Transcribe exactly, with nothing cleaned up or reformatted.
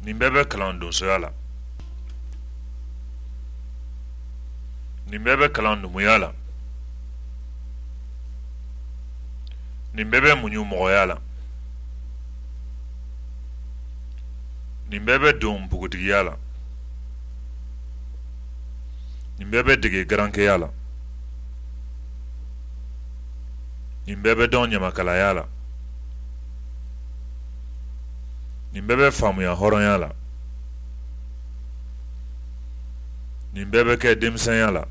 nin bɛɛ bɛ kalan donsoya la nin bɛɛ bɛ kalan numuya la nin bɛɛ bɛ muɲu mɔgɔya la nin bɛɛ bɛ don npogotigiya la nin bɛɛ bɛ dege garankɛya la nin bɛɛ bɛ dɔn ɲamakalaya la nin bɛɛ bɛ faamuya hɔrɔnya la nin bɛɛ bɛ kɛ denmisɛnya la